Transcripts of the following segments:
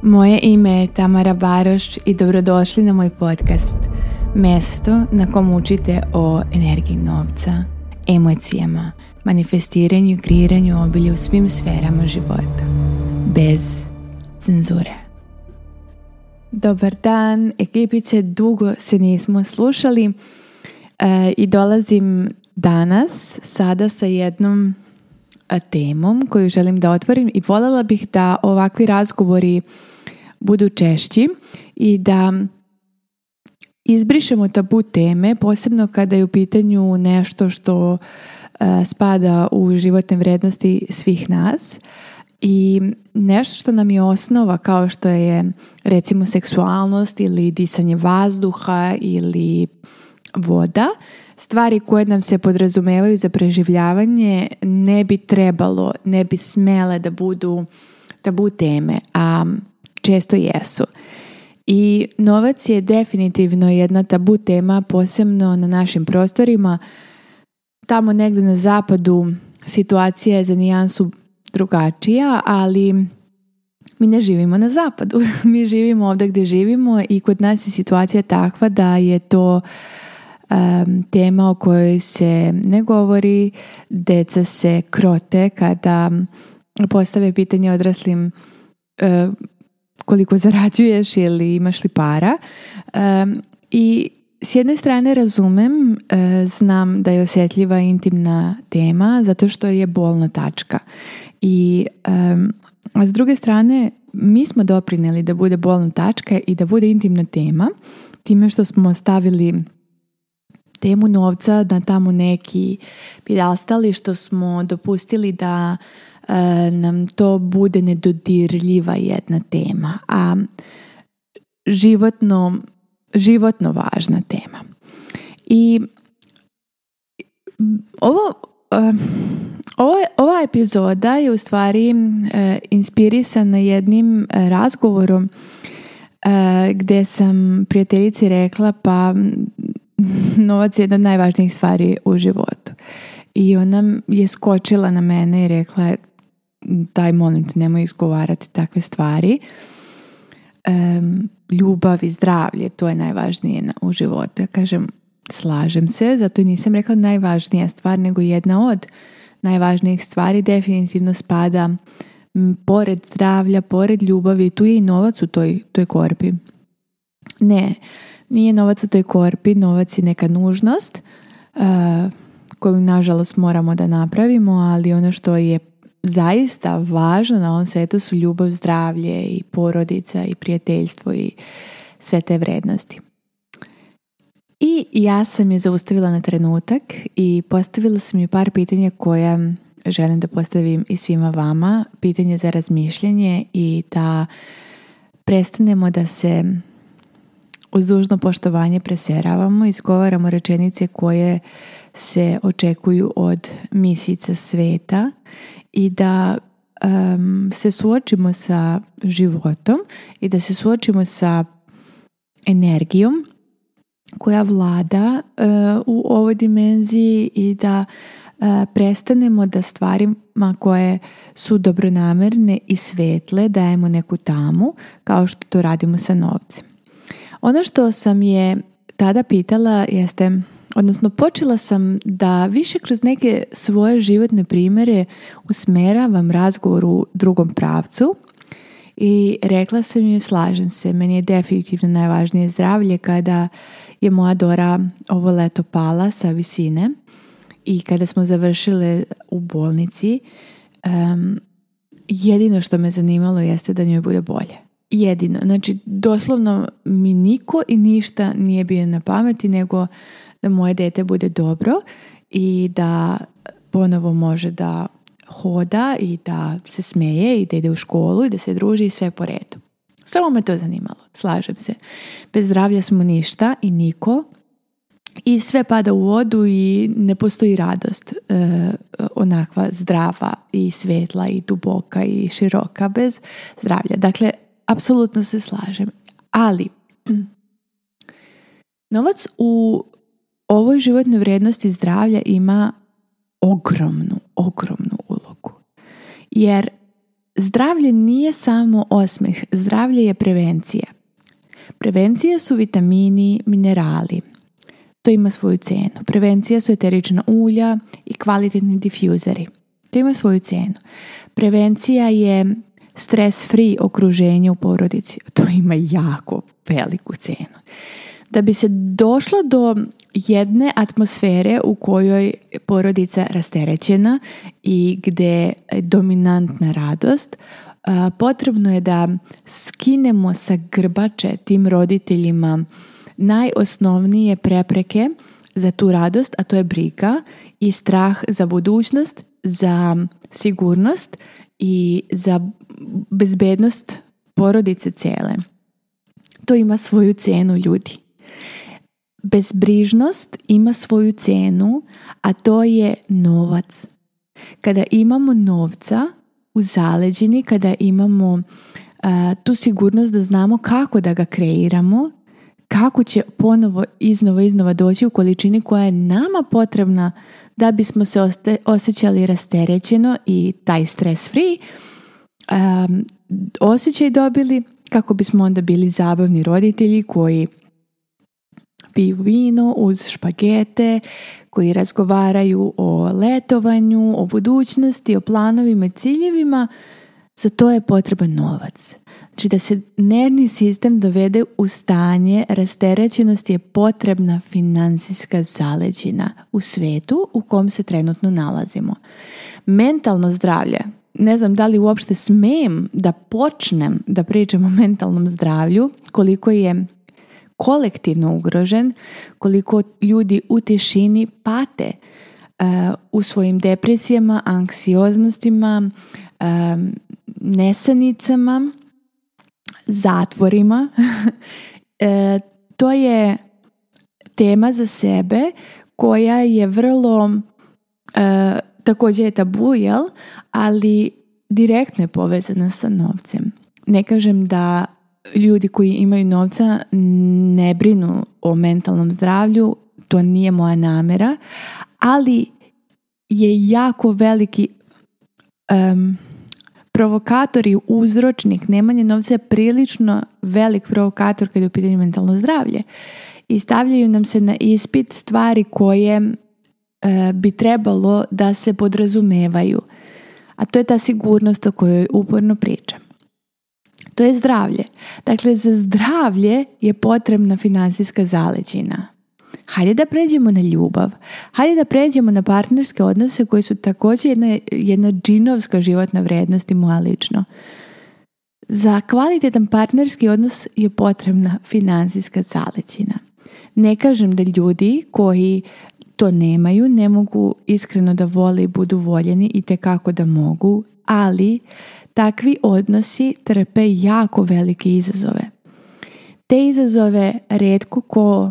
Moje ime je Tamara Baroš i dobrodošli na moj podcast. Mjesto na kom učite o energiji novca, emocijama, manifestiranju i kreiranju obilja u svim sferama života. Bez cenzure. Dobar dan, ekipice, dugo se nismo slušali i dolazim danas sada sa jednom temom koju želim da otvorim i voljela bih da ovakvi razgovori budu češći i da izbrišemo tabu teme, posebno kada je u pitanju nešto što spada u životne vrednosti svih nas i nešto što nam je osnova, kao što je recimo seksualnost ili disanje vazduha ili voda. Stvari koje nam se podrazumevaju za preživljavanje ne bi smele da budu tabu teme, a često jesu. I novac je definitivno jedna tabu tema, posebno na našim prostorima. Tamo negdje na zapadu situacija je za nijansu drugačija, ali mi ne živimo na zapadu. Mi živimo ovdje gdje živimo i kod nas je situacija takva da je to tema o kojoj se ne govori. Deca se krote kada postave pitanje odraslim koliko zarađuješ ili imaš li para. I s jedne strane razumem, znam da je osjetljiva intimna tema zato što je bolna tačka. A s druge strane mi smo doprinijeli da bude bolna tačka i da bude intimna tema time što smo stavili temu novca na tamo neki pjedestal i što smo dopustili da nam to bude nedodirljiva jedna tema, a životno važna tema. I ova epizoda je u stvari inspirisana jednim razgovorom gdje sam prijateljici rekla pa novac je jedna od najvažnijih stvari u životu. I ona je skočila na mene i rekla daj molim te nemoj izgovarati takve stvari. Ljubav i zdravlje, to je najvažnije u životu. Ja kažem, slažem se, zato nisam rekla najvažnija stvar, nego jedna od najvažnijih stvari definitivno spada pored zdravlja, pored ljubavi, tu je i novac u toj korpi. Ne, nije novac u toj korpi, novac je neka nužnost koju nažalost moramo da napravimo, ali ono što je zaista važno na ovom svijetu su ljubav, zdravlje i porodica i prijateljstvo i sve te vrednosti. I ja sam je zaustavila na trenutak i postavila sam joj par pitanja koja želim da postavim i svima vama. Pitanje za razmišljanje i da prestanemo da se uz dužno poštovanje preseravamo, izgovaramo rečenice koje se očekuju od misica sveta i da se suočimo sa životom i da se suočimo sa energijom koja vlada u ovoj dimenziji i da prestanemo da stvarima koje su dobronamerne i svetle dajemo neku tamu kao što to radimo sa novcem. Ono što sam je tada pitala jeste, odnosno počela sam da više kroz neke svoje životne primjere usmeravam razgovor u drugom pravcu i rekla sam joj slažem se, meni je definitivno najvažnije zdravlje kada je moja Dora ovo leto pala sa visine i kada smo završile u bolnici, jedino što me zanimalo jeste da njoj bude bolje. Jedino. Znači, doslovno mi niko i ništa nije bio na pameti nego da moje dete bude dobro i da ponovo može da hoda i da se smeje i da ide u školu i da se druži i sve po redu. Samo me to zanimalo, slažem se. Bez zdravlja smo ništa i niko i sve pada u vodu i ne postoji radost onakva zdrava i svetla i duboka i široka bez zdravlja. Dakle, apsolutno se slažem. Ali novac u ovoj životnoj vrijednosti zdravlja ima ogromnu ulogu. Jer zdravlje nije samo osmeh, zdravlje je prevencija. Prevencija su vitamini, minerali. To ima svoju cenu. Prevencija su eterična ulja i kvalitetni difuzeri. To ima svoju cenu. Prevencija je stres-free okruženje u porodici. To ima jako veliku cenu. Da bi se došlo do jedne atmosfere u kojoj porodica rasterećena i gdje je dominantna radost, potrebno je da skinemo sa grbače tim roditeljima najosnovnije prepreke za tu radost, a to je briga i strah za budućnost, za sigurnost i za bezbednost porodice cijele. To ima svoju cenu, ljudi. Bezbrižnost ima svoju cenu, a to je novac. Kada imamo novca u zaleđini, kada imamo tu sigurnost da znamo kako da ga kreiramo, kako će ponovo iznova doći u količini koja je nama potrebna da bismo se osjećali rasterećeno i taj stres free osjećaj dobili, kako bismo onda bili zabavni roditelji koji piju vino uz špagete, koji razgovaraju o letovanju, o budućnosti, o planovima i ciljevima. Za to je potreban novac. Znači da se nervni sistem dovede u stanje rasterećenosti je potrebna financijska zaleđina u svetu u kom se trenutno nalazimo. Mentalno zdravlje, ne znam da li uopšte smijem da počnem da pričam o mentalnom zdravlju, koliko je kolektivno ugrožen, koliko ljudi u tišini pate u svojim depresijama, anksioznostima, nesanicama, zatvorima. To je tema za sebe koja je vrlo također je tabu, jel? Ali direktno je povezana sa novcem. Ne kažem da ljudi koji imaju novca ne brinu o mentalnom zdravlju, to nije moja namjera, ali je jako veliki provokator i uzročnik. Nemanje novca je prilično velik provokator kada je u pitanju mentalno zdravlje. I stavljaju nam se na ispit stvari koje bi trebalo da se podrazumevaju. A to je ta sigurnost o kojoj uporno pričam. To je zdravlje. Dakle, za zdravlje je potrebna financijska zaleđina. Hajde da pređemo na ljubav. Hajde da pređemo na partnerske odnose koji su također jedna džinovska životna vrijednost i moja lično. Za kvalitetan partnerski odnos je potrebna financijska zaleđina. Ne kažem da ljudi koji to nemaju ne mogu iskreno da vole i budu voljeni i tekako da mogu, ali takvi odnosi trpe jako velike izazove. Te izazove rijetko ko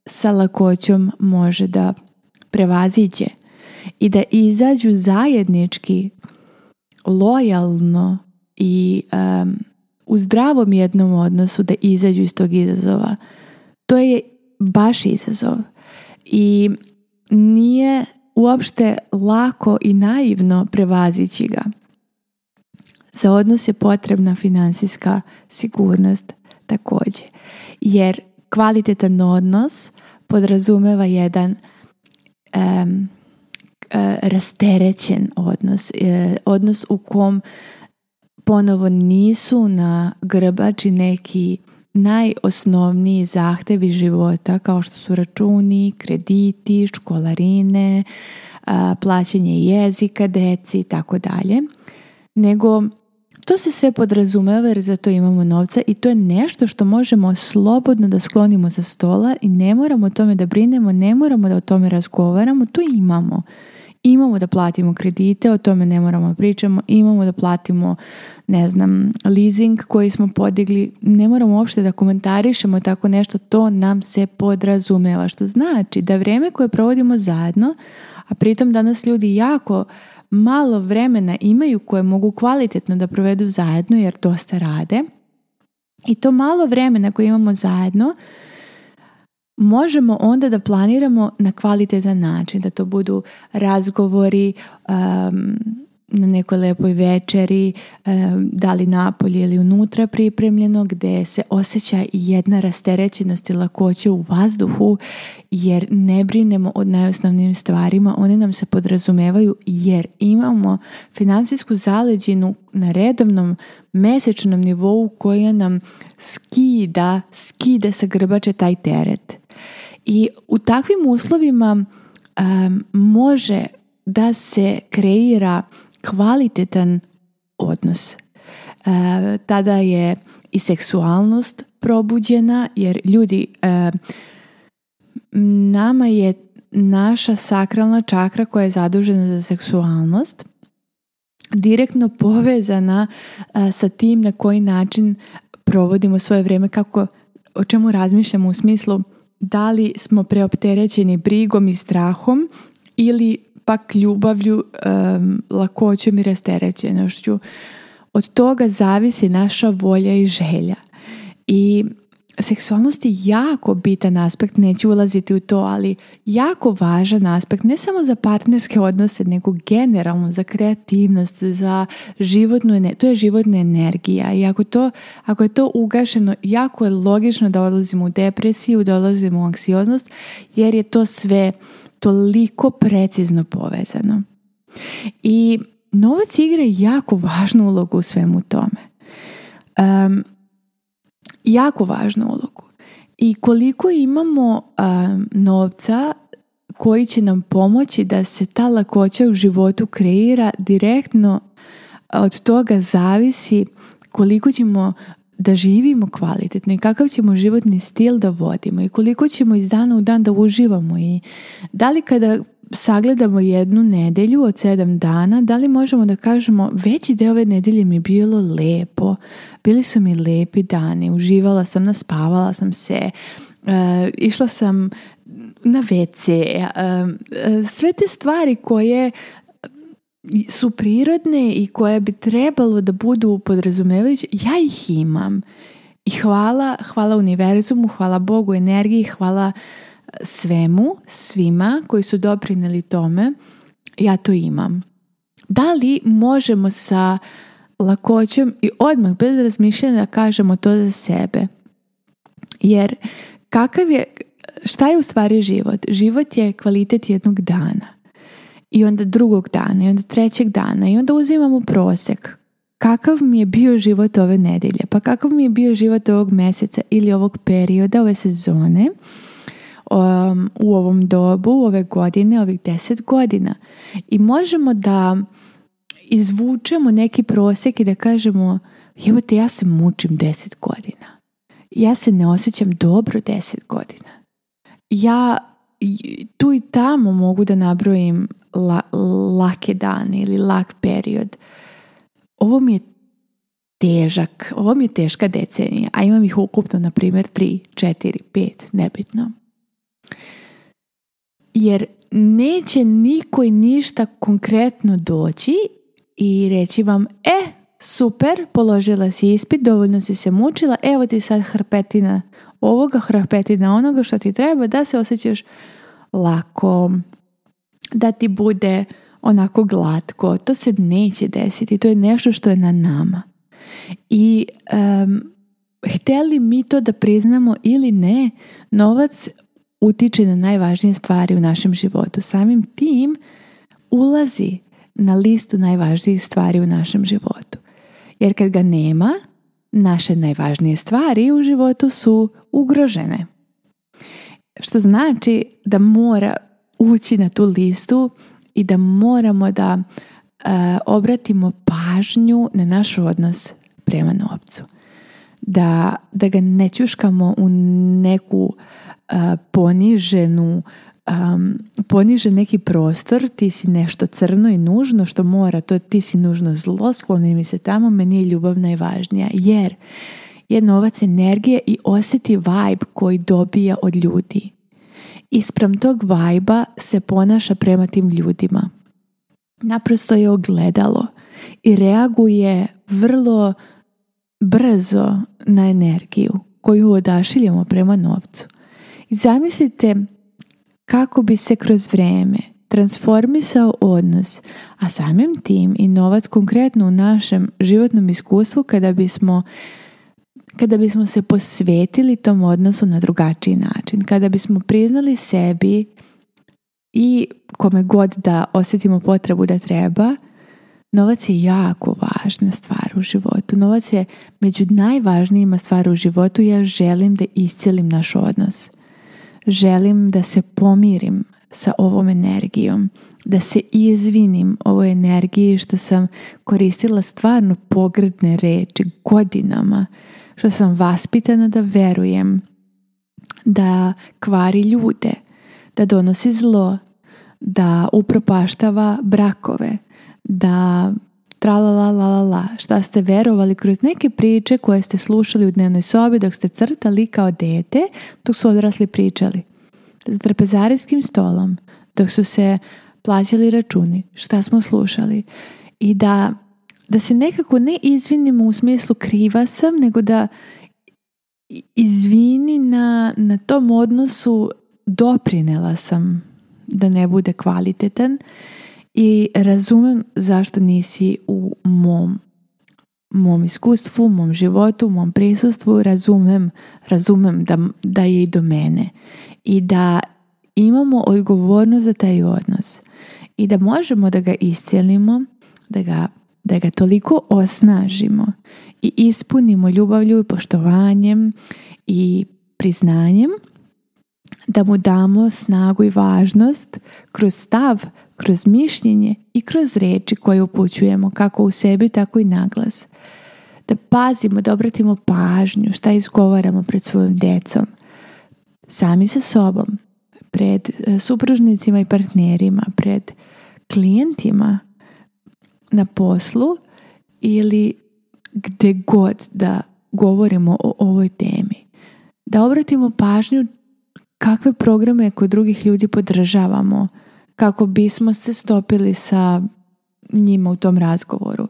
sa lakoćom može da prevaziđe i da izađu zajednički, lojalno i u zdravom jednom odnosu da izađu iz tog izazova. To je baš izazov i nije uopšte lako i naivno prevazići ga. Za odnos je potrebna financijska sigurnost također, jer kvalitetan odnos podrazumeva jedan rasterećen odnos, odnos u kom ponovo nisu na grbači neki najosnovniji zahtevi života kao što su računi, krediti, školarine, plaćanje jezika deci i tako dalje, nego to se sve podrazumeva jer za to imamo novca i to je nešto što možemo slobodno da sklonimo sa stola i ne moramo o tome da brinemo, ne moramo da o tome razgovaramo, to imamo. Imamo da platimo kredite, o tome ne moramo pričamo, imamo da platimo, leasing koji smo podigli, ne moramo uopšte da komentarišemo tako nešto, to nam se podrazumeva, što znači da vrijeme koje provodimo zajedno, a pritom danas ljudi jako malo vremena imaju koje mogu kvalitetno da provedu zajedno jer dosta rade, i to malo vremena koje imamo zajedno možemo onda da planiramo na kvalitetan način, da to budu razgovori na nekoj lepoj večeri, da li napolje ili unutra pripremljeno, gdje se osjeća jedna rasterećenost i lakoća u vazduhu, jer ne brinemo o najosnovnijim stvarima, one nam se podrazumevaju jer imamo financijsku zaleđinu na redovnom mesečnom nivou koja nam skida sa grbače taj teret. I u takvim uslovima može da se kreira kvalitetan odnos. Tada je i seksualnost probuđena, jer ljudi, nama je naša sakralna čakra koja je zadužena za seksualnost direktno povezana sa tim na koji način provodimo svoje vrijeme, o čemu razmišljamo u smislu da li smo preopterećeni brigom i strahom ili pak ljubavlju, lakoćom i rasterećenošću. Od toga zavisi naša volja i želja. I seksualnost je jako bitan aspekt, neću ulaziti u to, ali jako važan aspekt, ne samo za partnerske odnose, nego generalno za kreativnost, za životnu energiju. To je životna energija i ako je to ugašeno, jako je logično da odlazimo u depresiju, da odlazimo u anksioznost, jer je to sve toliko precizno povezano. I novac igra jako važnu ulogu u svemu tome. Jako važnu ulogu. I koliko imamo novca koji će nam pomoći da se ta lakoća u životu kreira, direktno od toga zavisi koliko ćemo da živimo kvalitetno i kakav ćemo životni stil da vodimo i koliko ćemo iz dana u dan da uživamo. I da li kada sagledamo jednu nedjelju od 7 dana, da li možemo da kažemo veći deo ove nedjelje mi je bilo lepo, bili su mi lepi dani, uživala sam, naspavala sam se, išla sam na WC, sve te stvari koje su prirodne i koje bi trebalo da budu podrazumevajuće, ja ih imam. I hvala univerzumu, hvala Bogu, energiji, hvala svima koji su doprinijeli tome, ja to imam. Da li možemo sa lakoćom i odmah bez razmišljanja da kažemo to za sebe? Jer šta je u stvari život? Život je kvalitet jednog dana. I onda drugog dana, i onda trećeg dana, i onda uzimamo prosjek. Kakav mi je bio život ove nedelje? Pa kakav mi je bio život ovog mjeseca ili ovog perioda, ove sezone, u ovom dobu, ove godine, ovih 10 godina. I možemo da izvučemo neki prosjek i da kažemo, evo te, ja se mučim 10 godina. Ja se ne osjećam dobro 10 godina. Ja tu i tamo mogu da nabrojim lake dane ili lak period. Ovo mi je težak, ovo mi je teška decenija, a imam ih ukupno, na primjer, 3, 4, 5, nebitno. Jer neće niko i ništa konkretno doći i reći vam, super, položila si ispit, dovoljno si se mučila, evo ti sad hrpetina ovoga, hrpetina onoga što ti treba da se osjećaš lako, da ti bude onako glatko. To se neće desiti, to je nešto što je na nama. I htjeli mi to da priznamo ili ne, novac utiče na najvažnije stvari u našem životu. Samim tim ulazi na listu najvažnijih stvari u našem životu. Jer kad ga nema, naše najvažnije stvari u životu su ugrožene. Što znači da mora ući na tu listu i da moramo da obratimo pažnju na naš odnos prema novcu. Da ga ne čuškamo u neku ponižen neki prostor, ti si nešto crno i nužno što mora, to ti si nužno zlo, skloni mi se tamo, meni je ljubav najvažnija, jer je novac energije i osjeti vibe koji dobija od ljudi. Ispram tog vibe-a se ponaša prema tim ljudima. Naprosto je ogledalo i reaguje vrlo brzo na energiju koju odašiljamo prema novcu. I zamislite kako bi se kroz vrijeme transformisao odnos, a samim tim i novac konkretno u našem životnom iskustvu kada bismo se posvetili tom odnosu na drugačiji način, kada bismo priznali sebi i kome god da osjetimo potrebu da treba, novac je jako važna stvar u životu. Novac je među najvažnijima stvari u životu. Ja želim da iscijelim naš odnos. Želim da se pomirim sa ovom energijom, da se izvinim ovoj energiji što sam koristila stvarno pogrdne reči godinama, što sam vaspitana da verujem, da kvari ljude, da donosi zlo, da upropaštava brakove, da tralalala, šta ste verovali kroz neke priče koje ste slušali u dnevnoj sobi dok ste crtali kao dete, dok su odrasli pričali. Za trpezarijskim stolom, dok su se plaćali računi, šta smo slušali. I da se nekako ne izvinimo u smislu kriva sam, nego da izvini na tom odnosu doprinela sam da ne bude kvalitetan i razumem zašto nisi u mom iskustvu, mom životu, mom prisustvu, razumem da je i do mene i da imamo odgovornost za taj odnos i da možemo da ga iscijelimo, da ga toliko osnažimo i ispunimo ljubavlju i poštovanjem i priznanjem, da mu damo snagu i važnost kroz stav, kroz mišljenje i kroz reči koje upućujemo kako u sebi, tako i naglas. Da pazimo, da obratimo pažnju šta izgovaramo pred svojom decom, sami sa sobom, pred supružnicima i partnerima, pred klijentima na poslu ili gde god da govorimo o ovoj temi. Da obratimo pažnju kakve programe kod drugih ljudi podržavamo kako bismo se stopili sa njima u tom razgovoru.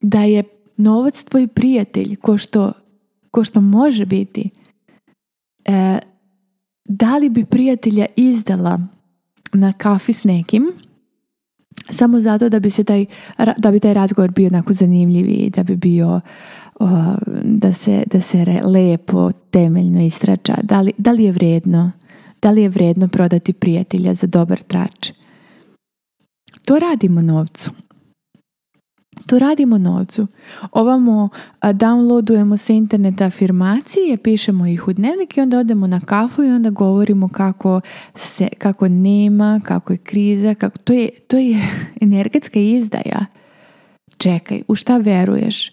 Da je novac tvoj prijatelj ko što može biti. Da li bi prijatelja izdala na kafi s nekim samo zato da bi taj razgovor bio onako zanimljiviji, da bi bio da se lepo, temeljno istrača. Da li je vredno? Da li je vredno prodati prijatelja za dobar trač? To radimo novcu. Ovamo downloadujemo sa interneta afirmacije, pišemo ih u dnevnik i onda odemo na kafu i onda govorimo kako nema, kako je kriza, to je energetska izdaja. Čekaj, u šta veruješ?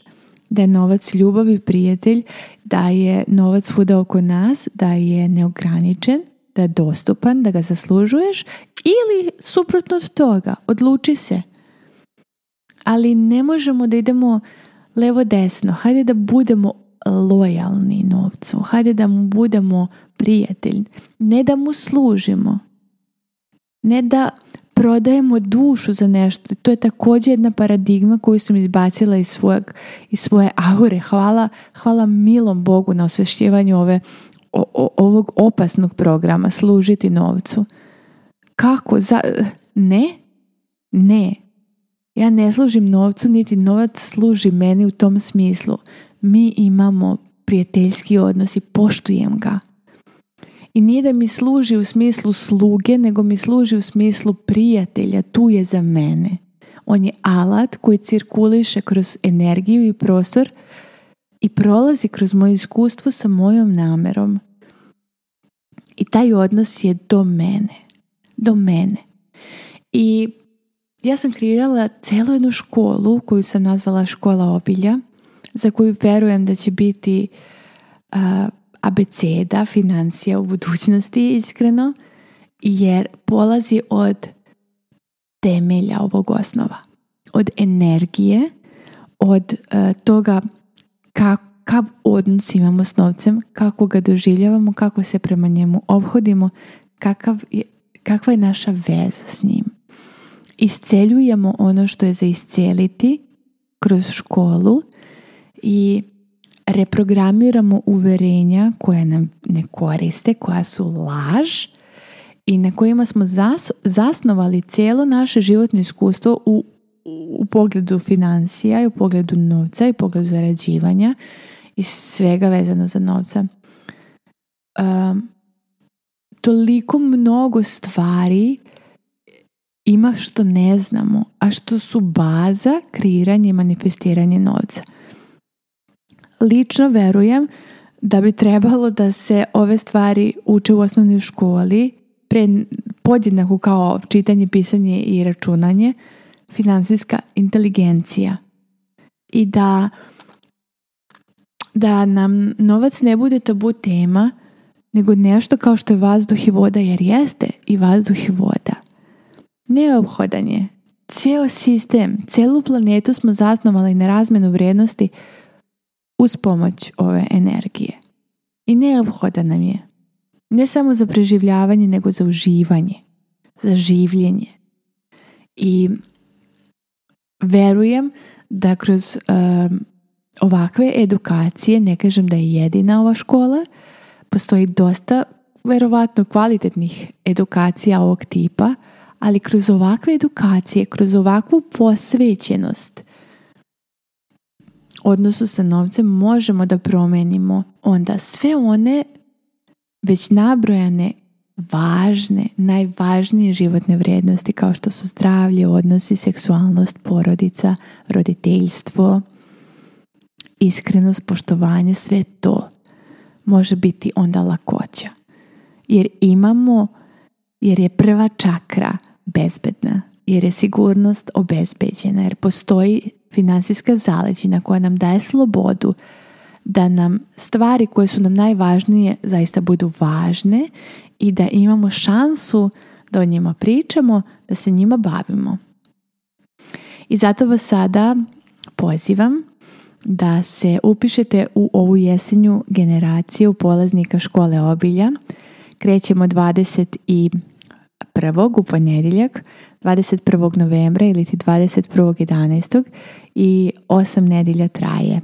Da je novac ljubav i prijatelj, da je novac svuda oko nas, da je neograničen, da je dostupan, da ga zaslužuješ ili suprotno od toga, odluči se. Ali ne možemo da idemo levo desno. Hajde da budemo lojalni novcu. Hajde da mu budemo prijatelji. Ne da mu služimo. Ne da prodajemo dušu za nešto. To je također jedna paradigma koju sam izbacila iz svoje aure. Hvala milom Bogu na osvešćivanju ovog opasnog programa. Služiti novcu. Kako? Ne. Ja ne služim novcu, niti novac služi meni u tom smislu. Mi imamo prijateljski odnos i poštujem ga. I nije da mi služi u smislu sluge, nego mi služi u smislu prijatelja. Tu je za mene. On je alat koji cirkuliše kroz energiju i prostor i prolazi kroz moje iskustvo sa mojom namerom. I taj odnos je do mene. I ja sam kreirala celu jednu školu koju sam nazvala Škola obilja, za koju verujem da će biti abeceda financija u budućnosti, iskreno, jer polazi od temelja ovog osnova, od energije, od toga kakav odnos imamo s novcem, kako ga doživljavamo, kako se prema njemu ophodimo, kakva je naša veza s njim. Isceljujemo ono što je za isceliti kroz školu i reprogramiramo uverenja koja nam ne koriste, koja su laž i na kojima smo zasnovali cijelo naše životno iskustvo u pogledu financija i u pogledu novca i u pogledu zarađivanja i svega vezano za novca. Toliko mnogo stvari ima što ne znamo, a što su baza kreiranja i manifestiranja novca. Lično verujem da bi trebalo da se ove stvari uče u osnovnoj školi podjednako kao čitanje, pisanje i računanje, finansijska inteligencija. I da nam novac ne bude tabu tema, nego nešto kao što je vazduh i voda, jer jeste i vazduh i voda. Neophodan je. Cijel sistem, cijelu planetu smo zasnovali na razmjenu vrijednosti uz pomoć ove energije. I neophodan nam je. Ne samo za preživljavanje, nego za uživanje, za življenje. I verujem da kroz ovakve edukacije, ne kažem da je jedina ova škola, postoji dosta verovatno kvalitetnih edukacija ovog tipa, ali kroz ovakve edukacije, kroz ovakvu posvećenost odnosu sa novcem možemo da promenimo onda sve one već nabrojane važne, najvažnije životne vrijednosti kao što su zdravlje, odnosi, seksualnost, porodica, roditeljstvo, iskrenost, poštovanje, sve to može biti onda lakoća. Jer je prva čakra bezbedna, jer je sigurnost obezbeđena, jer postoji finansijska zaleđina koja nam daje slobodu da nam stvari koje su nam najvažnije zaista budu važne i da imamo šansu da o njima pričamo, da se njima bavimo. I zato vas sada pozivam da se upišete u ovu jesenju generaciju polaznika škole obilja. Krećemo 21. u ponedjeljak, 21. novembra ili 21.11. i 8 nedjelja traje.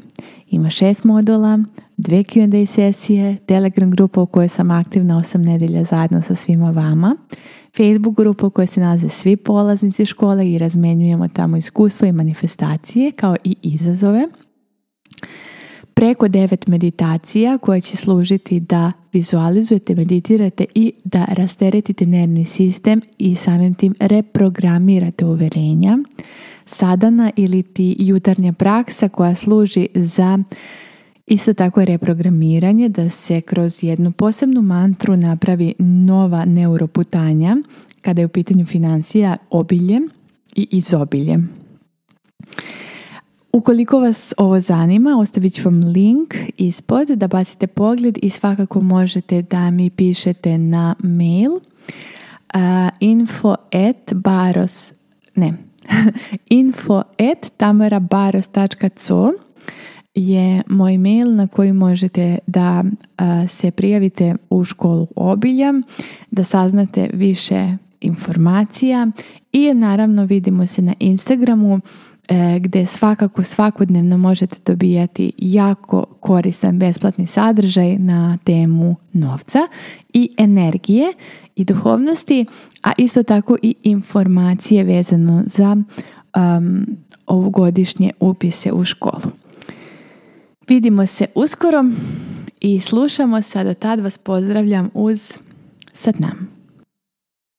Ima 6 modula, 2 Q&A sesije, Telegram grupa u kojoj sam aktivna 8 nedjelja zajedno sa svima vama, Facebook grupa u kojoj se nalaze svi polaznici škole i razmenjujemo tamo iskustva i manifestacije kao i izazove. Preko 9 meditacija koje će služiti da vizualizujete, meditirate i da rasteretite nervni sistem i samim tim reprogramirate uverenja. Sadana ili ti jutarnja praksa koja služi za isto tako reprogramiranje, da se kroz jednu posebnu mantru napravi nova neuroputanja kada je u pitanju financija, obilje i izobilje. Ukoliko vas ovo zanima, ostavit ću vam link ispod da bacite pogled i svakako možete da mi pišete na mail info@tamarabaros.co je moj mail na koji možete da se prijavite u školu obilja, da saznate više informacija i naravno vidimo se na Instagramu gdje svakako svakodnevno možete dobijati jako koristan besplatni sadržaj na temu novca i energije i duhovnosti, a isto tako i informacije vezano za ovogodišnje upise u školu. Vidimo se uskoro i slušamo se, do tad vas pozdravljam uz Sat Nam.